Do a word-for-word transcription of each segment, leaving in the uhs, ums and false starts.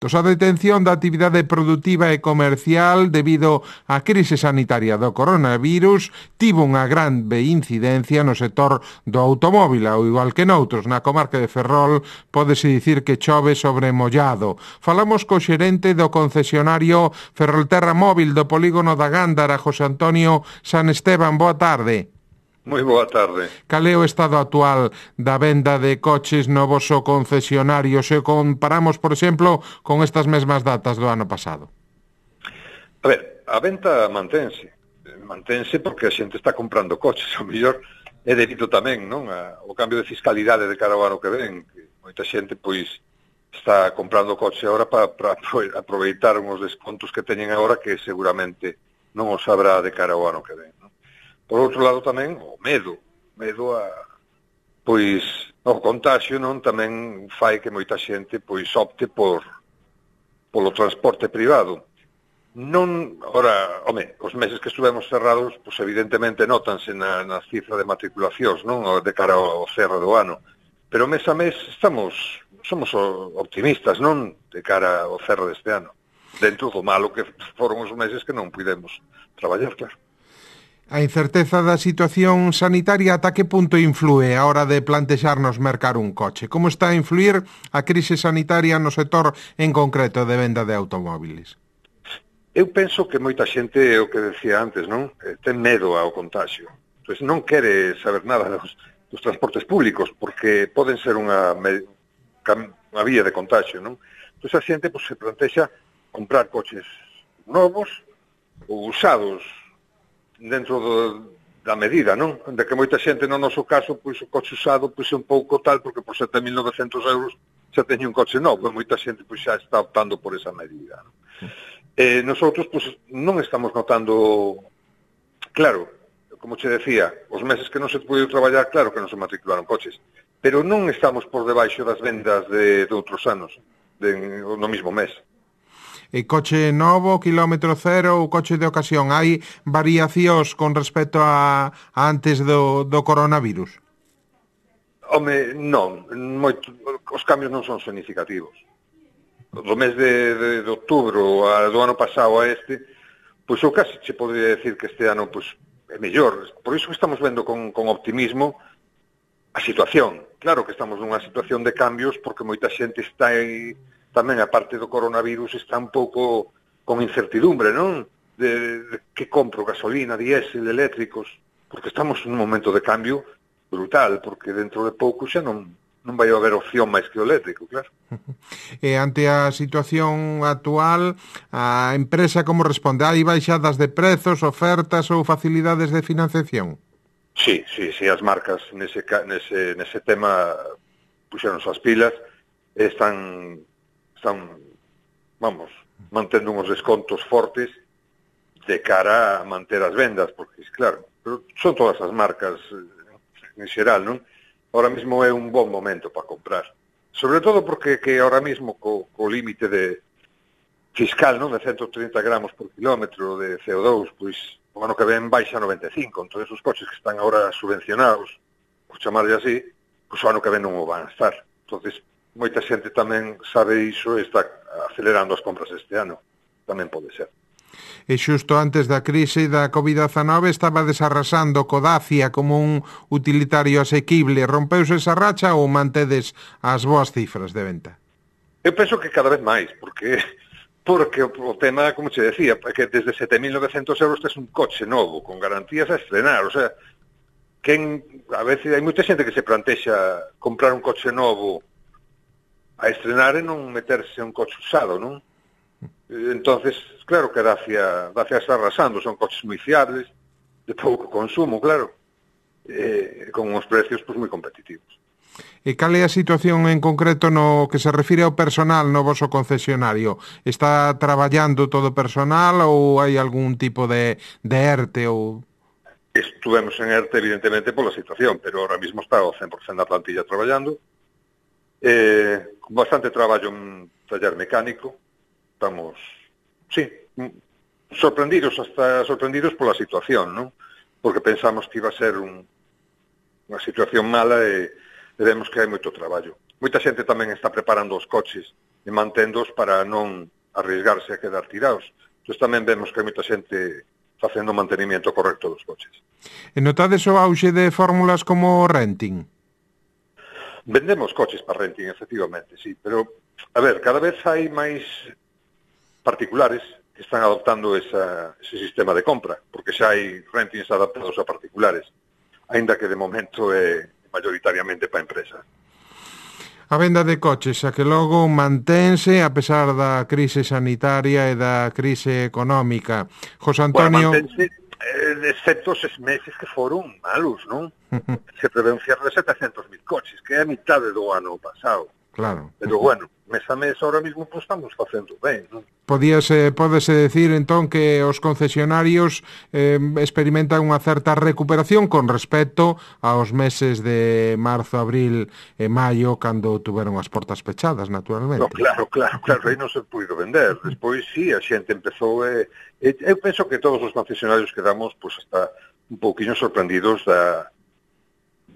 Tos a detención da actividade produtiva e comercial debido á crise sanitaria do coronavirus tivo unha grande incidencia no sector do automóbil, ao igual que noutros. Na comarca de Ferrol pódese dicir que chove sobre mollado. Falamos co xerente do concesionario Ferrolterra Móvil do polígono da Gándara, José Antonio San Esteban. Boa tarde. Moi boa tarde. Cal é o estado actual da venda de coches no voso concesionario se comparamos, por exemplo, con estas mesmas datas do ano pasado? A ver, a venta mantense. Mantense porque a xente está comprando coches. O mellor é debido tamén, non, a, o cambio de fiscalidade de cara ao ano que ven. Que moita xente, pois, está comprando coche agora para pa aproveitar uns descontos que teñen agora que seguramente non os sabrá de cara ao ano que ven. Por outro lado tamén, o medo, medo a, pois, o contagio, non, tamén fai que moita xente, pois, opte por, polo transporte privado. Non, ora, home, os meses que estuvemos cerrados, pois, evidentemente, notanse na, na cifra de matriculacións, non, de cara ao cerro do ano. Pero mes a mes estamos, somos optimistas, non, de cara ao cerro deste ano. Dentro do malo que foron os meses que non pudemos traballar, claro. A incerteza da situación sanitaria ata que punto inflúe a hora de plantexarnos mercar un coche? Como está a influir a crise sanitaria no sector en concreto de venda de automóviles? Eu penso que moita xente, é o que decía antes, non? Ten medo ao contagio. Entón, non quere saber nada dos, dos transportes públicos, porque poden ser unha, unha vía de contagio, non? Entón, a xente pues, se plantexa comprar coches novos ou usados, dentro do, da medida, non? De que moita xente, no noso caso, pois o coche usado pois é un pouco tal, porque por sete mil novecentos euros xa teñe un coche novo, e moita xente pois xa está optando por esa medida, non? Eh, nosotros, pois, non estamos notando, claro, como che decía, os meses que non se puido traballar, claro que non se matricularon coches, pero non estamos por debaixo das vendas de, de outros anos, de, no mismo mes. E coche novo, kilómetro cero ou coche de ocasión, hai variacións con respecto a, a antes do, do coronavirus? Home, non, moito, os cambios non son significativos. Do mes de, de, de outubro a, do ano pasado a este, pois eu casi che podría decir que este ano pois, é mellor. Por iso que estamos vendo con, con optimismo a situación. Claro que estamos nunha situación de cambios porque moita xente está aí. Tamén, a parte do coronavirus, está un pouco con incertidumbre, non? De, de que compro, gasolina, diésel, eléctricos, porque estamos nun momento de cambio brutal, porque dentro de pouco xa non, non vai haber opción máis que o eléctrico, claro. E ante a situación actual, a empresa como responde? Hai baixadas de prezos, ofertas ou facilidades de financiación? Sí, sí, sí, as marcas nese, nese, nese tema puxeron as pilas, están... están, vamos, mantendo uns descontos fortes de cara a manter as vendas, porque, claro, pero son todas as marcas en xeral, non? Ahora mismo é un bon momento para comprar. Sobre todo porque que ahora mismo co, co límite de fiscal, non, de ciento trinta gramos por kilómetro de C O dos, pois, o ano que ven baixa noventa e cinco, entón os coches que están agora subvencionados, por chamarlle así, pois o ano que ven non o van a estar. Entonces, moita xente tamén sabe iso e está acelerando as compras este ano. Tamén pode ser. E xusto antes da crise da covid dezanove estaba desarrasando co Dacia como un utilitario asequible. Rompeuse esa racha ou mantedes as boas cifras de venta? Eu penso que cada vez máis, porque porque o tema, como che decía, que desde sete mil novecentos euros tes un coche novo, con garantías a estrenar. O sea, quen, a veces hai moita xente que se plantexa comprar un coche novo a estrenar e non meterse un coche usado, non? Entonces, claro que Dacia, Dacia está arrasando, son coches moi fiables, de pouco consumo, claro, eh, con uns precios pues, moi competitivos. E cal é a situación en concreto no que se refire ao personal no voso concesionario? Está traballando todo o personal ou hai algún tipo de, de ERTE ou... Estuvemos en ERTE, evidentemente, pola situación, pero ahora mismo está o cen por cento da plantilla traballando. Eh, con bastante traballo en taller mecánico, estamos, sí, sorprendidos, hasta sorprendidos pola situación, non? Porque pensamos que iba a ser un, unha situación mala e, e vemos que hai moito traballo. Moita xente tamén está preparando os coches e manténdoos para non arriesgarse a quedar tirados. Entón tamén vemos que hai moita xente facendo o mantenimiento correcto dos coches. E notades o auxe de fórmulas como renting? Vendemos coches para renting, efectivamente, sí, pero, a ver, cada vez hai máis particulares que están adoptando esa, ese sistema de compra, porque xa hai rentings adaptados a particulares, aínda que de momento é mayoritariamente para empresas. A venda de coches, a que logo mantense a pesar da crise sanitaria e da crise económica. José Antonio... Bueno, mantense, eh, excepto os meses que foron malos, non? Se prevé un cierre de setecentos mil coches, que é a mitade do ano pasado. Claro. Pero bueno, mes a mes ahora mismo pues, estamos facendo ben, non? Podíase, pódese decir entón que os concesionarios eh, experimentan unha certa recuperación con respecto aos meses de marzo, abril e maio, cando tuveron as portas pechadas, naturalmente. No, claro, claro, claro, aí non se puido vender. Despois, sí, a xente empezou... Eh, eh, eu penso que todos os concesionarios quedamos pues, hasta un pouquinho sorprendidos da,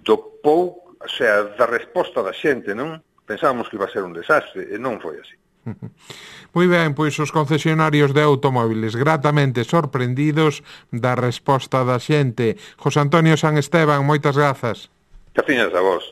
do pouco, o sea, da resposta da xente, non? Pensábamos que iba a ser un desastre, e non foi así. Moi ben, pois os concesionarios de automóviles gratamente sorprendidos da resposta da xente. José Antonio San Esteban, moitas grazas. Que tiñas a vos.